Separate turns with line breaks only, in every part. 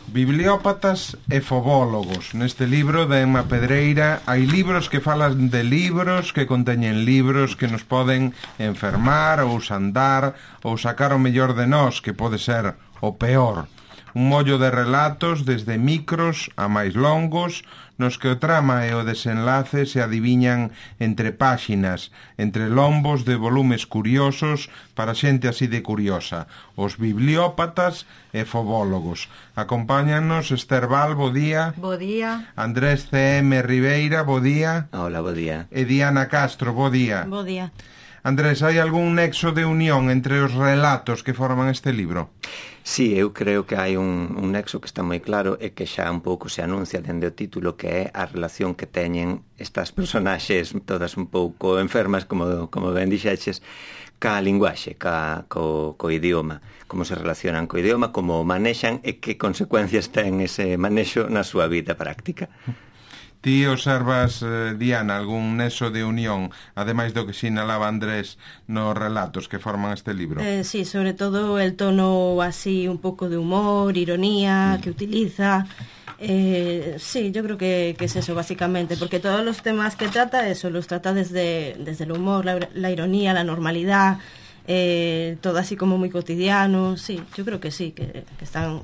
Bibliópatas e fobólogos. Neste libro de Emma Pedreira hai libros que falan de libros, que conteñen libros que nos poden enfermar ou sandar ou sacar o mellor de nós, que pode ser o peor. Un mollo de relatos desde micros a máis longos, nos que o trama e o desenlace se adiviñan entre páxinas, entre lombos de volumes curiosos para xente así de curiosa. Os bibliópatas e fobólogos. Acompáñanos Esther Val, bo día.
Bo día.
Andrés C.M. Ribeira, bo día.
Hola, bo día.
E Diana Castro, bo día.
Bo día.
Andrés, hai algún nexo de unión entre os relatos que forman este libro?
Sí, eu creo que hai un nexo que está moi claro e que xa un pouco se anuncia dende o título, que é a relación que teñen estas personaxes todas un pouco enfermas, como ben dixeches, ca linguaxe, co idioma, como se relacionan co idioma, como o manexan e que consecuencias ten ese manexo na súa vida práctica.
Ti observas, Diana, algún nexo de unión, ademais do que sinalaba Andrés nos relatos que forman este libro?
Sí, sobre todo el tono así un pouco de humor, ironía que utiliza. Sí, yo creo que es eso básicamente, porque todos los temas que trata, eso los trata desde el humor, la ironía, la normalidad, todo así como muy cotidiano. Sí, yo creo que sí, que están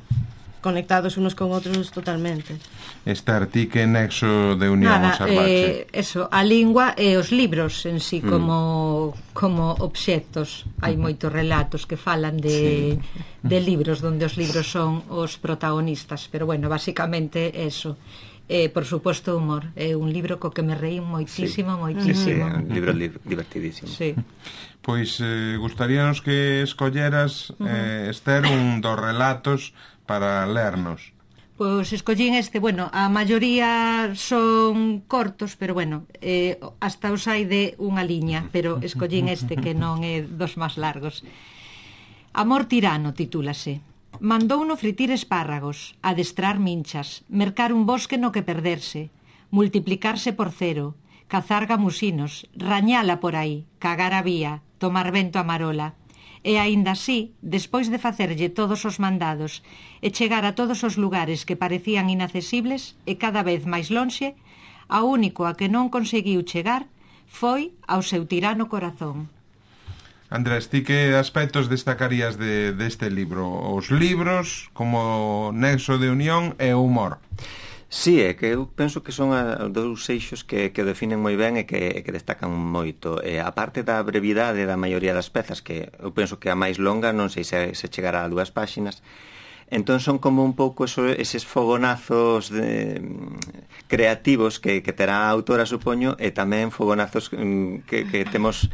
conectados unos con outros totalmente.
Esther, ti que nexo de unión observache?
Eso, a lingua e os libros en sí como obxectos. Hai moitos relatos que falan de libros, donde os libros son os protagonistas, pero bueno, basicamente eso. Por suposto, humor. É un libro co que me reí moitísimo, moitísimo.
Sí, un libro divertidísimo.
Sí.
Pois gustaríanos que escolleras, Esther, un dos relatos para lernos.
Pois escollín bueno, a maioría son cortos, pero bueno, hasta os hai de unha liña, pero escollín que non é dos máis largos. Amor tirano titúlase. Mandouno fritir espárragos, adestrar minchas, mercar un bosque no que perderse, multiplicarse por cero, cazar gamusinos, rañala por aí, cagar a vía, tomar vento a marola. E aínda así, despois de facerlle todos os mandados e chegar a todos os lugares que parecían inaccesibles e cada vez máis lonxe, a único a que non conseguiu chegar foi ao seu tirano corazón.
Andrés, ti que aspectos destacarías deste libro? Os libros como nexo de unión e o humor?
Sí, é que eu penso que son dous eixos que definen moi ben e que destacan moito. A parte da brevidade da maioría das pezas, que eu penso que a máis longa non sei se chegará a 2 páxinas, entón son como un pouco eses fogonazos creativos que terá a autora, supoño, e tamén fogonazos que temos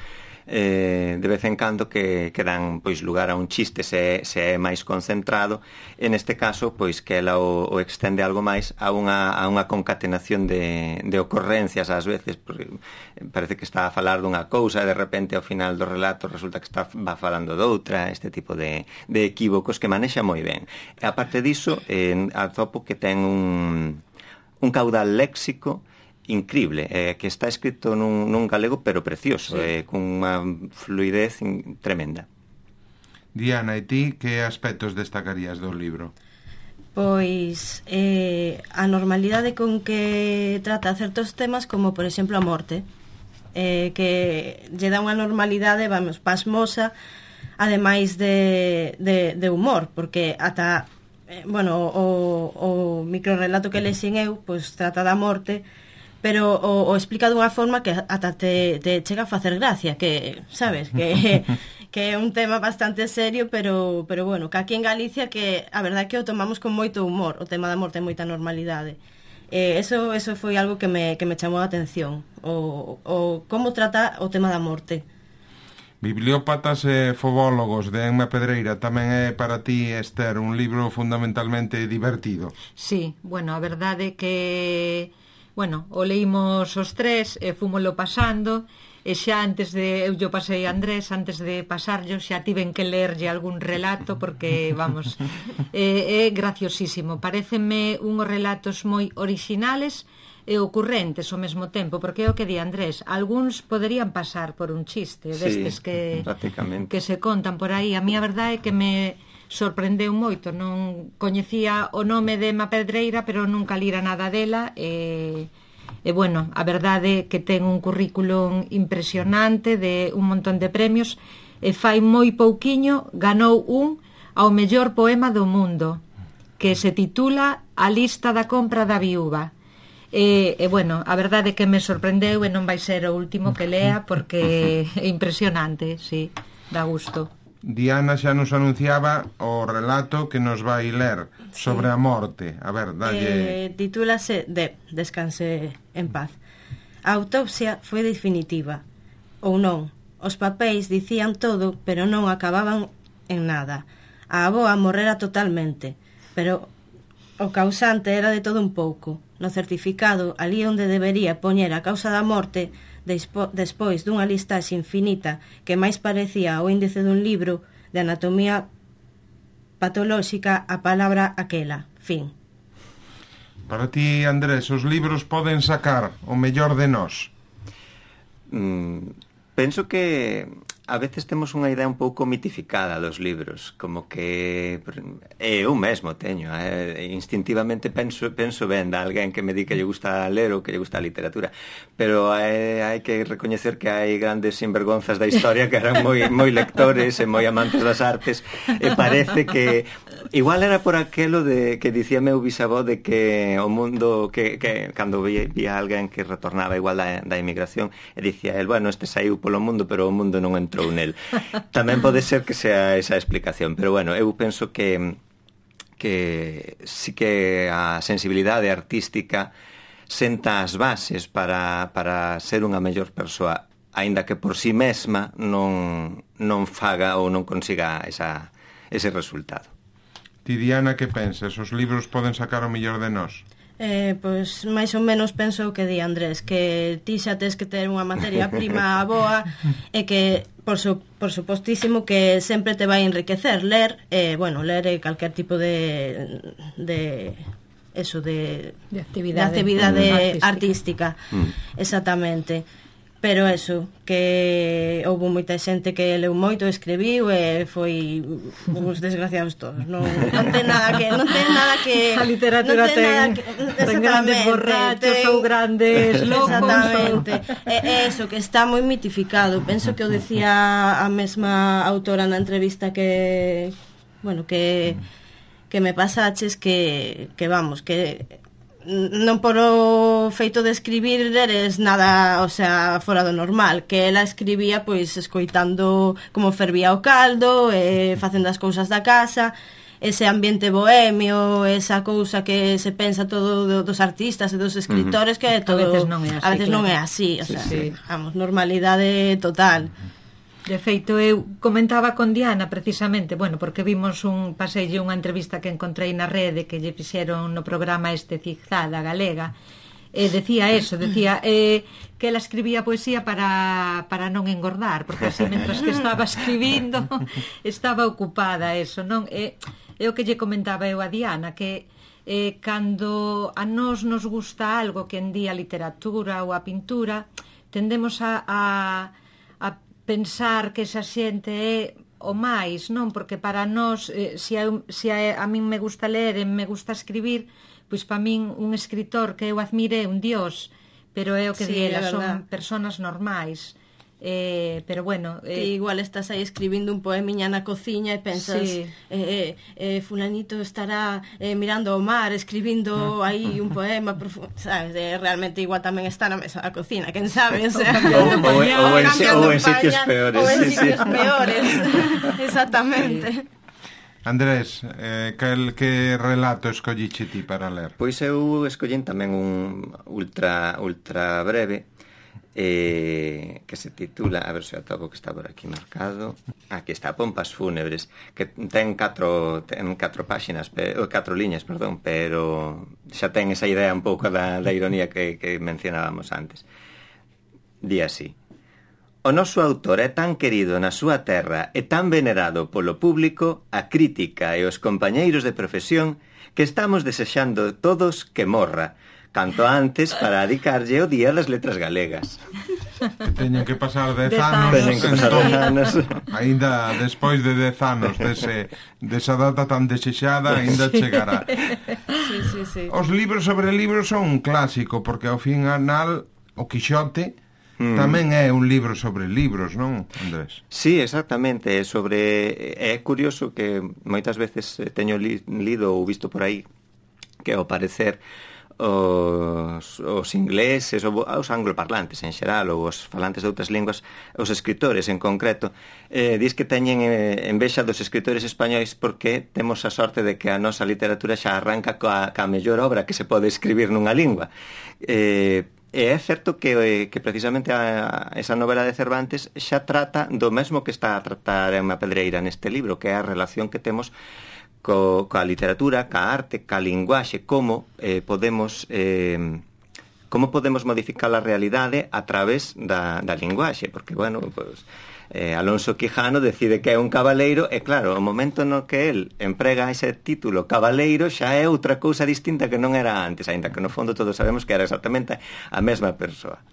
de vez en cando que dan pois lugar a un chiste se é máis concentrado, e neste caso pois que ela o extende algo máis a unha concatenación de ocorrencias ás veces, porque parece que está a falar dunha cousa e de repente ao final do relato resulta que va falando doutra, este tipo de equívocos que manexa moi ben. E aparte diso, atopo que ten un caudal léxico increíble, que está escrito nun galego pero precioso, con unha fluidez tremenda.
Diana, e ti que aspectos destacarías do libro?
Pois a normalidade con que trata certos temas, como por exemplo a morte, que lle dá unha normalidade, vamos, pasmosa, ademais de humor, porque ata o microrelato que lexen eu pois trata da morte, pero o explica dunha forma que ata te chega a facer gracia, que, sabes, que é un tema bastante serio, pero bueno, que aquí en Galicia que a verdade que o tomamos con moito humor, o tema da morte é moita normalidade. Eso foi algo que me chamou a atención, o como trata o tema da morte.
Bibliópatas e fobólogos de Emma Pedreira tamén é para ti, Esther, un libro fundamentalmente divertido.
Sí, bueno, a verdade que o leímos os tres e fúmolo pasando, e xa eu pasei a Andrés, antes de pasarlo xa tiven que lerlle algún relato porque, vamos, é graciosísimo. Parécenme unhos relatos moi orixinales e ocurrentes ao mesmo tempo, porque é o que di Andrés, algúns poderían pasar por un chiste destes que se contan por aí. A mí a verdade é que me sorprendeu moito. Non coñecía o nome de Emma Pedreira, pero nunca lira nada dela, e bueno, a verdade que ten un currículum impresionante de un montón de premios, e fai moi pouquiño ganou un ao mellor poema do mundo, que se titula A lista da compra da viúva. E bueno, a verdade que me sorprendeu e non vai ser o último que lea, porque é impresionante, sí, dá gusto.
Diana xa nos anunciaba o relato que nos vai ler sobre a morte. A ver, dalle...
Titúlase Descanse en paz. A autopsia foi definitiva, ou non. Os papéis dicían todo, pero non acababan en nada. A avoa morrera totalmente, pero o causante era de todo un pouco. No certificado, ali onde debería poñer a causa da morte, despois dunha listaxe infinita que máis parecía o índice dun libro de anatomía patolóxica, a palabra aquela, fin.
Para ti, Andrés, os libros poden sacar o mellor de nós?
Penso que a veces temos unha idea un pouco mitificada dos libros, como que eu mesmo teño, instintivamente penso ben de alguén que me di que lle gusta ler ou que lle gusta a literatura, pero hai que recoñecer que hai grandes sinvergonzas da historia que eran moi lectores e moi amantes das artes, e parece que igual era por aquelo de que dicía meu bisavó de que o mundo que cando vía alguén que retornaba igual da emigración e dicía el, bueno, este saiu polo mundo pero o mundo non entrou nel. Tamén pode ser que sea esa explicación, pero bueno, eu penso que sí que a sensibilidade artística senta as bases para ser unha mellor persoa, aínda que por si mesma non faga ou non consiga ese resultado.
Ti, Diana, que pensas? Os libros poden sacar o mellor de nós?
Pois máis ou menos penso o que di Andrés, que ti xa tes que ter unha materia prima boa e que por supostísimo que sempre te vai enriquecer ler, bueno, ler calquer tipo de actividade artística. Exactamente. Pero eso, que houve moita xente que leu moito, escribiu e foi uns desgraciados todos. Non ten nada que
a literatura ten grandes borrachos ou grandes locos.
Exactamente. É eso, que está moi mitificado. Penso que o decía a mesma autora na entrevista que me pasaches, que vamos, que non por o feito de escribir eres nada, o sea, fora do normal, que ela escribía pois escoitando como fervía o caldo, facendo as cousas da casa, ese ambiente bohemio, esa cousa que se pensa todo dos artistas e dos escritores, que é todo,
a veces non é así,
o sea, vamos, normalidade total.
De feito, eu comentaba con Diana precisamente, bueno, porque vimos paseille unha entrevista que encontrei na rede que lle fixeron no programa Zigzag da Galega, e decía que ela escribía poesía para non engordar, porque así, mentras que estaba escribindo, estaba ocupada, eso, non? É o que lle comentaba eu a Diana, que cando a nos gusta algo, que en día a literatura ou a pintura, tendemos a pensar que esa xente é o máis, non? Porque para nós, se a min me gusta ler e me gusta escribir, pois para min un escritor que eu admire é un dios, pero é o que di ela, son personas normais. Pero bueno,
igual estás aí escribindo un poemiña na cociña e pensas, fulanito estará mirando o mar, escribindo aí un poema, sabes, realmente igual tamén está na mesa da cocina, quen sabe, o sea,
ou en sitios peores.
Ou en sitios peores, exactamente.
Andrés, que relato escolliche ti para ler?
Pois eu escollín tamén un ultra breve, que se titula, a ver se atopo, que está por aquí marcado, aquí está, Pompas fúnebres, que ten 4 páxinas, 4 liñas, perdón, pero xa ten esa idea un pouco da ironía que mencionábamos antes. Di así: o noso autor é tan querido na súa terra e tan venerado polo público, a crítica e os compañeiros de profesión, que estamos desexando todos que morra canto antes para dedicarlle o Día das Letras Galegas.
Que teñen que pasar 10
10
anos,
Teñen que pasar 10 anos.
Ainda despois de 10 anos desa data tan desexada, ainda chegará.
Sí.
Os libros sobre libros son un clásico, porque ao final o Quixote tamén é un libro sobre libros, non, Andrés?
Sí, exactamente. É curioso que moitas veces teño lido ou visto por aí que ao parecer os ingleses ou os angloparlantes en xeral ou os falantes de outras linguas, os escritores en concreto, dis que teñen envexa dos escritores españois porque temos a sorte de que a nosa literatura xa arranca ca mellor obra que se pode escribir nunha lingua. E é certo que precisamente esa novela de Cervantes xa trata do mesmo que está a tratar Emma Pedreira neste libro, que é a relación que temos coa literatura, ca arte, ca linguaxe, como podemos modificar a realidade a través da linguaxe, porque, bueno, pues, Alonso Quijano decide que é un cabaleiro e, claro, o momento no que el emprega ese título cabaleiro xa é outra cousa distinta que non era antes, aínda que no fondo todos sabemos que era exactamente a mesma persoa.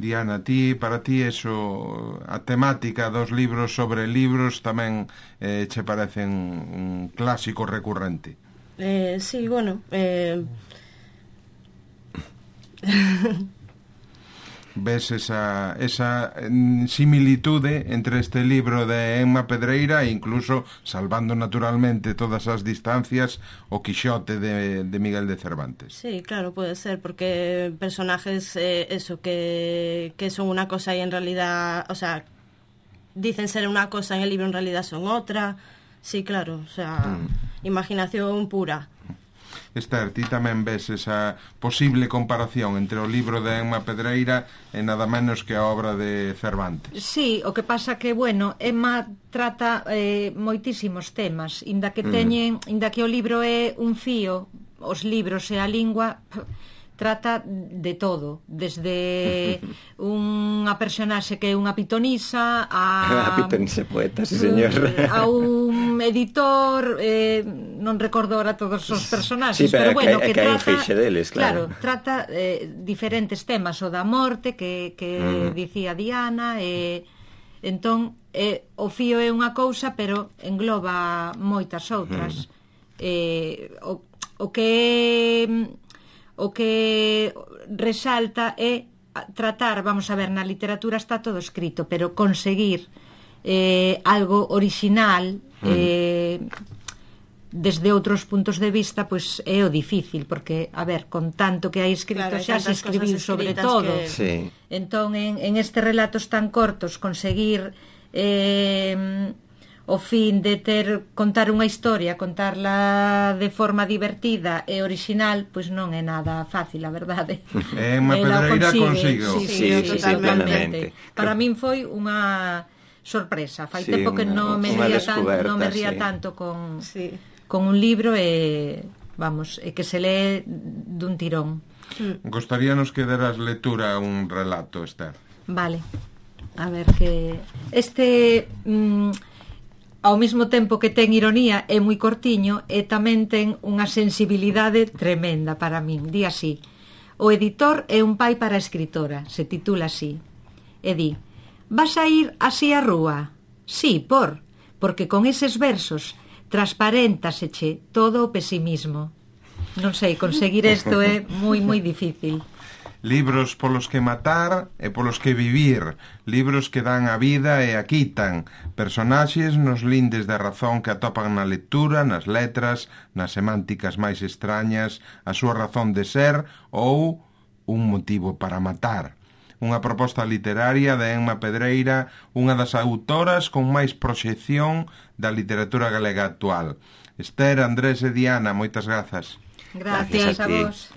Diana, para ti eso, a temática dos libros sobre libros tamén che parecen un clásico recurrente?
Sí, bueno,
ves esa similitude entre este libro de Emma Pedreira e incluso, salvando naturalmente todas as distancias, o Quixote de Miguel de Cervantes.
Sí, claro, puede ser, porque personajes que son una cosa y en realidad, o sea, dicen ser una cosa en el libro, en realidad son otra. Sí, claro, o sea, imaginación pura.
Esther, ti tamén ves esa posible comparación entre o libro de Emma Pedreira e nada menos que a obra de Cervantes.
Sí, o que pasa que, bueno, Emma trata moitísimos temas, inda que o libro é un fío, os libros e a lingua trata de todo, desde unha personaxe que é unha pitonisa
a pitonisa poeta, sí, señor,
a un editor, non recordo ahora todos os personaxes,
sí, pero
bueno, que
trata,
fixe
deles,
claro, trata diferentes temas, o da morte que dicía Diana, entón o fío é unha cousa, pero engloba moitas outras. O que resalta é tratar, vamos a ver, na literatura está todo escrito, pero conseguir algo original desde outros puntos de vista, pois é o difícil, porque, a ver, con tanto que hai escrito, claro, xa se escribiu sobre todo.
Sí.
Entón, en estes relatos tan cortos, conseguir o fin de contar unha historia, contarla de forma divertida e original, pois non é nada fácil, a verdade.
Emma Pedreira consigue.
Sí, totalmente.
Para min foi unha sorpresa. Fai tempo que non me ría tanto con un libro e, vamos, que se lee dun tirón.
Gostaríanos que deras lectura un relato, Esther.
Vale. A ver, que ao mesmo tempo que ten ironía, é moi cortiño e tamén ten unha sensibilidade tremenda para min. Di así: o editor é un pai para a escritora, se titula así. E di: vas a ir así á rúa? Sí, porque con eses versos transparéntaseche todo o pesimismo. Non sei, conseguir isto é moi, moi difícil.
Libros polos que matar e polos que vivir, libros que dan a vida e a quitan, personaxes nos lindes da razón que atopan na lectura, nas letras, nas semánticas máis extrañas, a súa razón de ser ou un motivo para matar. Unha proposta literaria de Emma Pedreira, unha das autoras con máis proxección da literatura galega actual. Esther, Andrés e Diana, moitas grazas.
Gracias a vos.